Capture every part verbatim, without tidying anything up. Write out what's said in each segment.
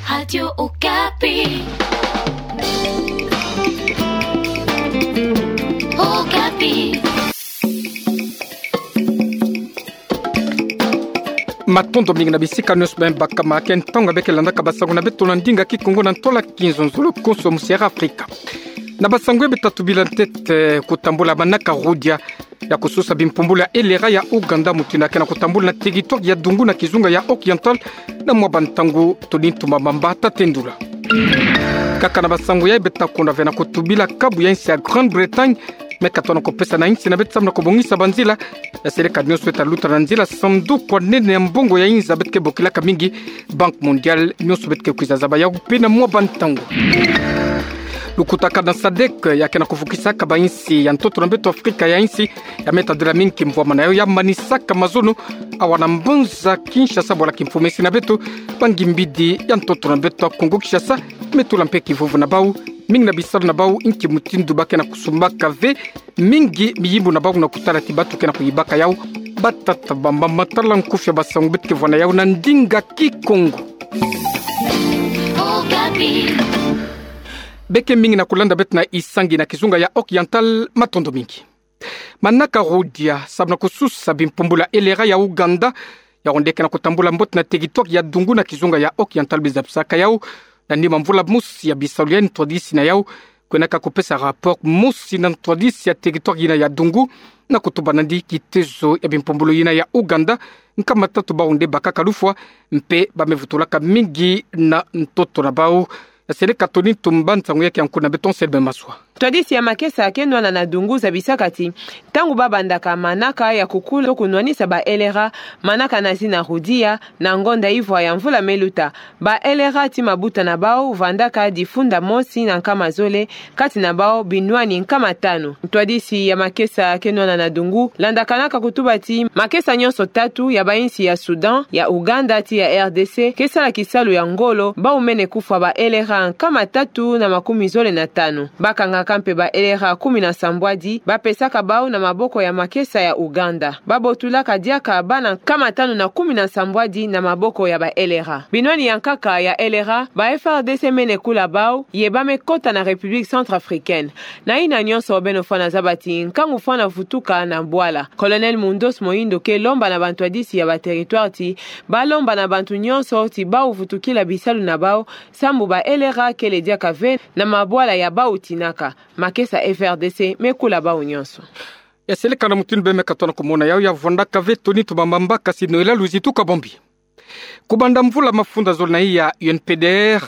Radio Okapi. Okapi. Matondo mingi na bisika nyonso bima bakama, ke ntangu beke landaka basango na beto na ndinga Kikongo na ntola kinzonzolo konso mu Sierra Afrika. Na basango ya beta tubila ntete, kutambula manaka rodia ya kususa bimpumbulu ya elera ya Ouganda, mutindu ke na kutambula na territoire ya Dungu na kizunga ya Oriental, na mwa bantangu toni ntumba mamba tatendula. Kaka na basango ya beta kona ve na kutubila kabu ya insi ya Grande-Bretagne, me katona kupesa na insi na beto samu na kubongisa banzila ya seleka nyonso eta luta na nzila sanduku ya nene ya mbongo ya inza beto ke bokilaka mingi Banque Mondiale, nyonso beto ke kwiza zaba yau pe na mwa bantangu. Lukutaka na sadek ya ke na kuvukisaka bainsi ya ntoto na beto Afrika ya insi ya meta dela mingi kimvwama na yau ya manisaka mazono awa na mbanza Kinshasa, bwala kimfumesi na beto bangi mbidi ya ntoto na beto ya Kongo Kinshasa me tula mpe kivuvu na bau, mingi na bisalu na bau nki mutindu ba ke na kusumbaka ve, mingi miyimbu na bau na kutala ti batu ke na kuyibaka yau, bata tabamba matala nkufi ya basango beto ke vwa na yau na ndinga Kikongo. Beke mingi na kulanda beto na isangi na kizunga ya Oriental, matondo mingi. Manaka rodia samu na kususa bimpumbulu ya elera ya Ouganda, yau nde ke na kutambula mbote na territoire ya Dungu na kizunga ya Oriental, bizabisaka yau na nima mvula mosi ya bisalu ya ntwadisi na yau, kwenaka kupesa rapport mosi na ntwadisi ya territoire yina ya Dungu, na kutuba nandi kitezo ya bimpumbulu yina ya Ouganda, nkama tatu bau nde bakaka lufwa, mpe ba me vutulaka mingi na ntoto na bau. Ya seleka toni ntumba, nsangu ya ke ya nkuna beto Anselme Maswa. Ntwadisi ya makesa ke nwana na Dungu zabisaka ti ntangu ba bandaka manaka ya kukula to kunwanisa ba elera, manaka na zina rodia, na ngonda ivwa ya mvula me luta, ba elera ti mabuta na bau vandaka difunda mosi na nkama zole, kati na bau binwani nkama tanu. Ntwadisi ya makesa ke nwana na Dungu landakanaka kutuba ti makesa nyonso tatu ya bainsi ya Soudan, ya Ouganda ti ya R D C ke sala kisalu ya ngolo, bau mene kufwa ba elera nkama tatu na makumi zole na tanu. Ba kangaka mpe ba elera kumi na sambwadi, ba pesaka bau na maboko ya makesa ya Ouganda. Ba botulaka diaka bana nkama tanu na kumi na sambwadi na maboko ya ba elera. Binwani ya nkaka ya elera, ba F R D C mene kula bau, ye ba me kota na République centrafricaine. Na yina nyonso beno fwana zaba ti nkangu fwana vutuka na bwala. Colonel Mundos Mohindo ke lomba na bantwadisi ya ba territoire ti ba lomba na bantu nyonso ti bau vutukila bisalu na bau, sambu ba elera kele diaka ve na mabwala ya bau tinaka. Makesa F R D C me kula bau nyonso. Ya seleka na mutindu beno me katona kumona yau, ya vwandaka ve toni ntumba mamba, kasi Noëlla Luzitu Kabambi. Kubanda mvula, mafunda zole na i ya U N P D R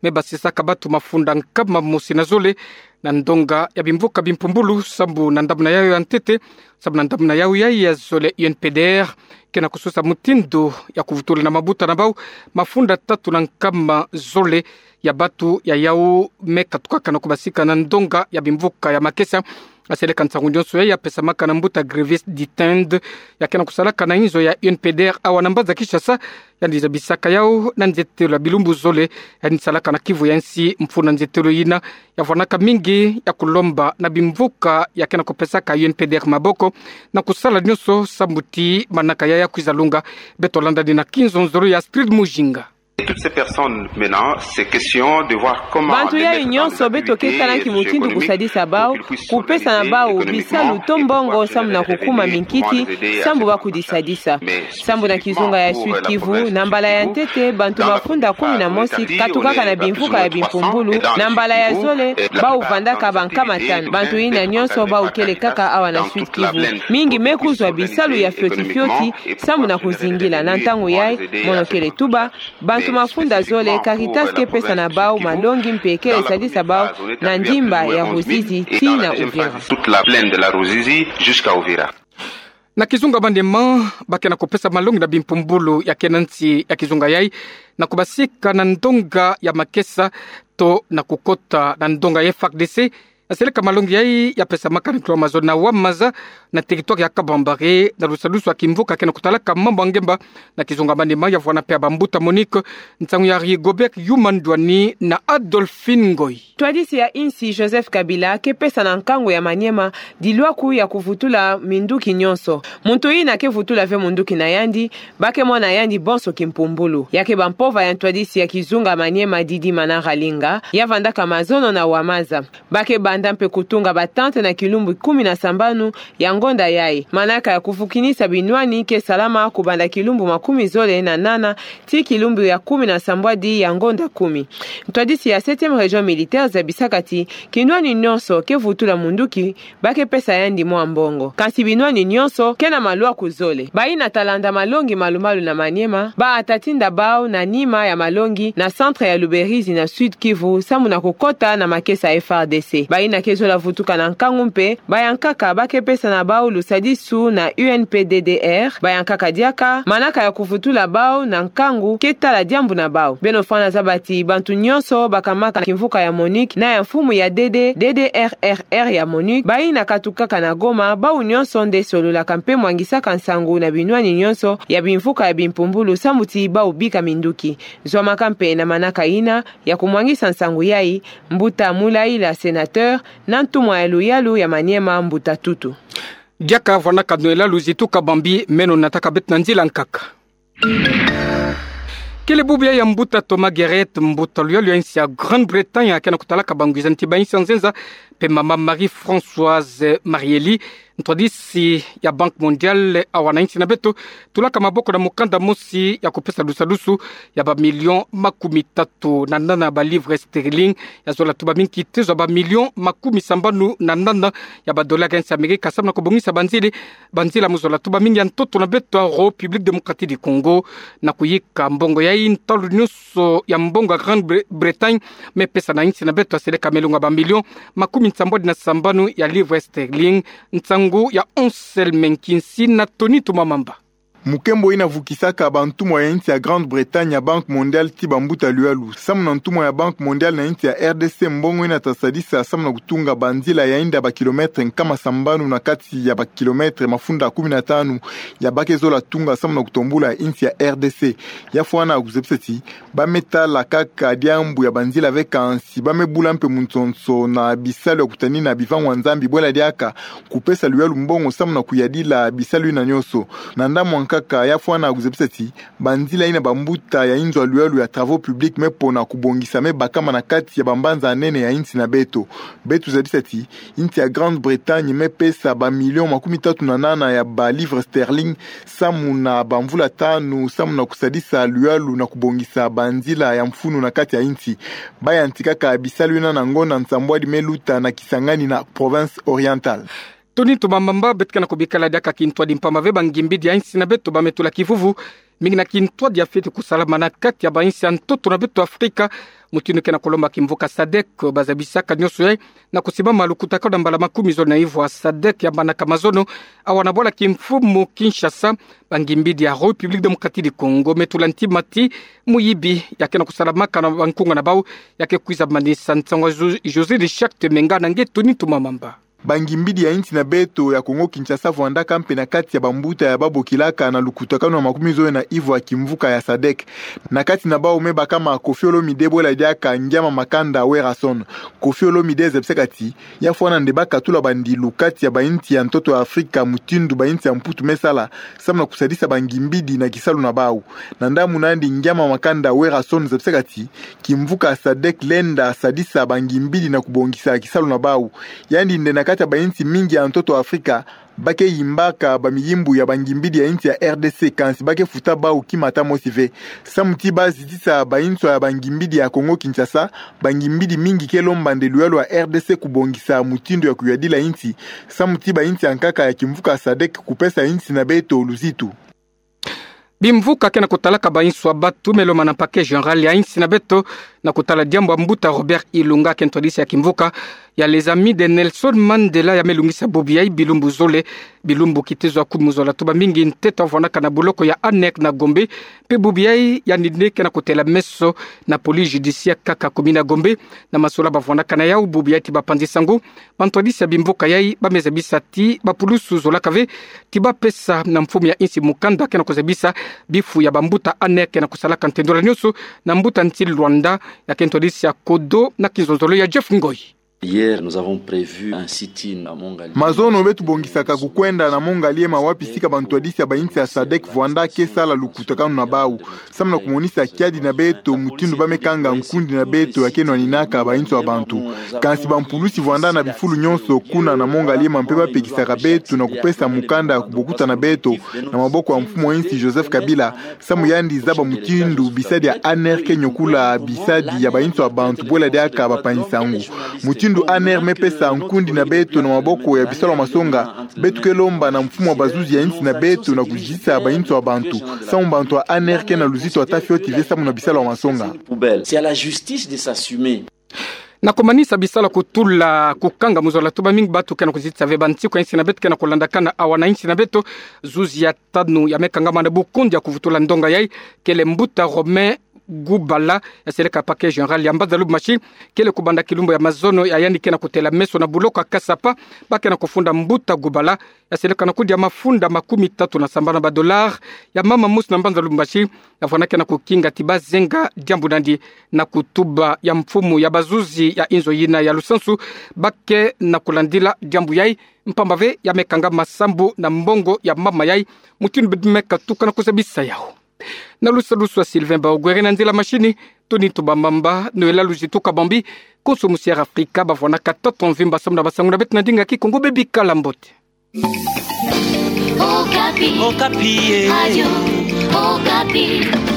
me basisaka batu mafunda nkama mosi na zole na ndonga ya bimvuka bimpumbulu, sambu na ndamuna yau ya ntete, sambu na ndamuna yau ya, ya zole U N P D R ke na kususa mutindu ya kuvutula na mabuta na bau mafunda tatu na nkama zole ya batu ya yau me katukaka na kubasika na ndonga ya bimvuka ya makesa. Ya seleka nsangu nyonso ya, ya pesamaka na mbuta Grevis Ditend, ya ke na kusalaka na inzo ya U N P D R awa na mbanza Kinshasa, yandi zabisaka yau na nzetelo ya bilumbu zole yandi salaka na kivu ya nsi. Mfunu na nzetelo yina, ya vwanaka mingi ya kulomba na bimvuka ya ke na kupesaka U N P D R maboko na kusala nyonso sambu ti manaka ya ya kwiza lunga. Beto landa ni na kinzonzolo ya Astrid Mujinga. Et toutes ces personnes maintenant, c'est question de voir comment... Bantu yayi nyonso beto ke tala nki mutindu kusadisa bau, kupesa na bau bisalu to mbongo sambu na kukuma minkiki, sambu ba kudisadisa. Sambu na kizunga ya Sud-Kivu, na mbala ya ntete, bantu mafunda kumi na mosi katukaka na bimvuka ya bimpumbulu, na mbala ya zole bau vandaka bankama tanu. Bantu yina nyonso bau kele kaka awa na Sud-Kivu. Mingi me kuzwa bisalu ya fioti fioti sambu na kuzingila. Na ntangu yayi, mono kele tuba, bantu mafunda zole, Caritas ke pesa na bau malongi mpe kele sadisa bau na ndimba ya Ruzizi tii na Uvira. Toute la plaine de la Ruzizi jusqu'à Uvira. Na kizunga Maniema, ba ke na kupesa malongi na bimpumbulu ya ke na nsi ya kizunga yayi na kubasika na ndonga ya makesa to na kukota na ndonga ya F R D C Seleka malongi yayi ya pesamaka na kilo mazono na wa maza na territoire ya Kabambare, na lusadusu ya kimvuka ke na kutalaka mambu ya ngemba na kizunga maniema ya vwanda mpe ya bambuta MONUC, nsangu ya Rigobert Yuma Ndwani na Adolphine Ngoy. Ntwadisi ya insi Joseph Kabila ke pesa na nkangu ya maniema dilwaku ya kuvutula minduki nyonso. Muntu yina ke vutula ve munduki na yandi, ba ke mona yandi bonso kimpumbulu. Ya ke bampova ya ntwadisi ya kizunga maniema Didi Manara Linga, ya vandaka mazono na wa maza. Ba ke banda mpe kutunga batente na kilumbu kumi na sambanu ya ngonda yayi. Manaka ya kuvukinisa binwani ke salama kubanda kilumbu makumi zole na nana tii kilumbu ya kumi na sambwadi ya ngonda kumi. Ntwadisi ya septième région militaire zabisaka ti kinwani nyonso ke vutula munduki, ba ke pesa yandi mwa mbongo. Kansi binwani nyonso ke na malwaku zole. Bayina ta landa malongi malumalu na Maniema, ba ata tinda bau na nima ya malongi na centre ya Luberizi na Sud-Kivu, samu na kukota na makesa F A R D C. Bayina ke zola vutuka na nkangu mpe, bayankaka ba ke pesa na bau lusadisu na U N P D D R, bayankaka diaka manaka ya kuvutula bau na nkangu ke tala diambu na bau. Beno fwana zaba ti bantu nyonso bakamaka na kimvuka ya MONUC na ya mfumu ya D D, D D R R R ya MONUC, bayina katukaka na Goma, bau nyonso nde sololaka mpe mwangisaka nsangu na binwani nyonso ya bimvuka ya bimpumbulu samu ti bau bika minduki. Zwamaka mpe na manaka yina ya kumwangisa nsangu yayi, mbuta Mulaila, sénateur, na ntumwa ya luyalu ya Maniema, mbuta Tutu. Diaka vwandaka nwela luzitu kabambi, meno nataka beto na nzila nkaka. Kele bubu yayi ya mbuta Thomas Gerrett, mbuta luyalu ya insi ya Grande-Bretagne, ke na kutalaka bangwiza nti ba insi ya nzenza, mpe mama Marie-Françoise Marielly, ntwadisi ya Banque Mondiale, awa na insi na beto, tulaka maboko na mukanda mosi ya kupesa lusadusu ya ba millions makumi tatu na nana ba livres sterling, ya zola tubami nkitezo ya ba millions makumi sambanu na nana ya ba dollars ya insi Amerika, samu na kubongisa banzila, banzila mu zola tubami ya ntoto na beto ya République Démocratique du Congo, na kuyika mbongo yayi ntalu nyonso ya mbongo ya Grande-Bre-, Bretagne me pesa na insi na beto ya seleka melunga ba millions makumi nsambwadi na sambanu ya livres sterling, nsangu ya Anselme Nkinsi na Tony Tumamamba. Mukembo yina vukisaka bantumwa ya insi ya Grande-Bretagne ya Banque Mondiale ti bambuta luyalu. Samu na ntumwa ya Banque Mondiale na insi ya R D C, mbongo yina ta sadisa samu na kutunga banzila ya yinda ba kilomètres nkama sambanu na kati ya ba kilomètres mafunda kumi na tanu ya ba ke zola tunga samu na kutombula insi ya R D C. Ya fwana kuzebisa ti ba me tala kaka diambu ya banzila ve, kansi ba me bula mpe munsonso na bisalu ya kutanina bivangwa Nzambi, bwela diaka kupesa luyalu mbongo samu na kuyadila bisalu yina nyonso. Na ndambu nkaka, ya fwana kuzebisa ti banzila yina bambuta ya inzo ya luyalu ya Travaux Publics me pona kubongisa me bakama na kati ya bambanza ya nene ya insi na beto. Beto zabisa ti insi ya Grande-Bretagne me pesa ba millions makumi tatu na nana ya ba livres sterling samu na bamvula tanu, samu na kusadisa luyalu na kubongisa banzila ya mfunu na kati ya insi. Ba yantikaka bisalu yina na ngonda nsambwadi me luta na Kisangani, na province orientale. Tony Tumamamba. Beto ke na kubikala diaka kintwadi mpamba ve bangimbidi ya insi na beto ba me tula kivuvu mingi na kintwadi ya fweti kusalama na kati ya ba insi ya ntoto na beto Afrika, mutindu ke na kulomba kimvuka SADC, ba zabisaka nyonso yayi na kusimbama lukutakanu na mbala makumi zole na ivwa. SADC ya manaka mazono awa na bwala kimfumu Kinshasa. Bangimbidi ya République Démocratique du Congo me tula ntima ti muyibi ya ke na kusalamaka na bankunga na bau ya ke kwiza manisa. Nsangu ya José de Charte Menga na nge Tony Tumamamba. Bangimbidi ya insi na beto ya Congo Kinshasa vwandaka mpe na kati ya bambuta ya ba bokilaka na lukutakanu na makumi zole na ivwa ya kimvuka ya SADC. Na kati na bau me bakama Koffi Olomide, bwela diaka Ngiama Makanda Werrason. Koffi Olomide zabisaka ti ya fwana nde ba katula bandilu kati ya ba insi ya ntoto ya Afrika, mutindu ba insi ya Mputu me sala, samu na kusadisa bangimbidi na kisalu na bau. Na ndambu na yandi, Ngiama Makanda Werrason zabisaka ti kimvuka SADC lenda sadisa bangimbidi na kubongisa kisalu na bau. Yandi nde na kati ya ba insi mingi ya ntoto Afrika ba ke yimbaka bamiyimbu ya bangimbidi ya insi ya R D C, kansi ba ke futa bau kima ata mosi ve. Samu ti ba zitisa ba inswa ya bangimbidi ya Congo Kinshasa, bangimbidi mingi ke lomba nde luyalu ya R D C kubongisa mutindu ya kuyadila insi, samu ti ba insi ya nkaka ya kimvuka SADC kupesa insi na beto luzitu. Bimvuka ke na kutalaka ba inswa batu me lomana na Parquet Général ya insi na beto na kotala diambu ya mbuta Robert Ilunga, kento hadisi ya kimvuka ya Les Amis de Nelson Mandela, ya me lungisa bubu yai bilumbu zole, bilumbu kitezo ya kumu zola tuba mingi nteta vwanaka na boloko ya Aner na Gombe, mpe bubu yai yandi ni ke na kotela meso na police judiciaire kaka commune ya Gombe. Na masola bavwanaka na yau, bubu yai ti bapanzi sango, bantu hadisi ya bimvuka yai ba me zabisa ti bapulusu zolaka ve ti bapesa na mfumu ya insi mukanda ke na kozabisa bifu ya bambuta Aner ke na kosalaka ntendwela nyonso na mbuta nsi Luanda. Ya kento hadisi ya kodo na kinzonzolo ya Jeff Ngoi. Hier, nous avons prévu un sit-in à Mont Ngaliema. Mazono beto tubongisaka kukwenda na Mont Ngaliema, wapi sika bantu hadisi ya bainsi ya sadec vwanda ke sala lukutakanu na bau, samu na kumonisa kiadi na beto mutindu ba me kanga nkundi na beto ya ke nwaninaka bainsi ya bantu. Kansi bampulusi vwanda na bifulu nyonso kuna na Mont Ngaliema mpe bapekisaka beto na kupesa mukanda ya kubokuta na beto na maboko ya mfumu wa insi Joseph Kabila, samu yandi zaba mutindu bisadi ya Aner ke nyokula bisadi ya bainsi ya bantu bwela diaka bapanzi sango. Mutindu Aner me pesa nkundi na beto na maboko ya bisalu ya masonga, beto ke lomba na mfumu wa bazuzi ya insi na beto na kuzitisa bainsi ya bantu, samu bantu ya Aner ke na luzitu ya ta fioti ve samu na bisalu ya masonga. C'est à la justice de s'assumer. Na kumanisa bisalu ya kutula kukanga mu zola tuba mingi, bato ke na kuzitisa ve bansiku ya insi na beto ke na kulandakana awa na insi na beto. Zuzi ya tanu ya me kangama na bukundi ya kuvutula ndonga yai kele mbuta Romain Gubala, ya seleka parquet général ya Mbanza-Lubumbashi. Kele kubanda kilumbu ya mazono ya yandi ke na kotela meso na boloko ya Kasapa, ba ke na kufunda mbuta Gubala, ya seleka na kudia mafunda makumi tatu na sambanu ya badollars ya mama mosi na Mbanza-Lubumbashi. Na vwanda ke na kukinga ti bazenga diambu nandi, na kutuba ya mfumu ya bazuzi ya inzo yina ya lusansu, ba ke na kulandila diambu yai, mpamba ve ya me kanga masambu na mbongo ya mama yai, mutindu beto me katuka na kuzabisa yau. Na lusadusu ya Sylvain Baogwere, na nzila mashini Tony Tubamamba, Noëlla Luzitu Kabambi, konso musi Air Africa bavwanaka tata mvimba samu na basango na beto na ndinga ya Kikongo. Bebikala mbote. Okapi. Okapi, eh. Radio Okapi.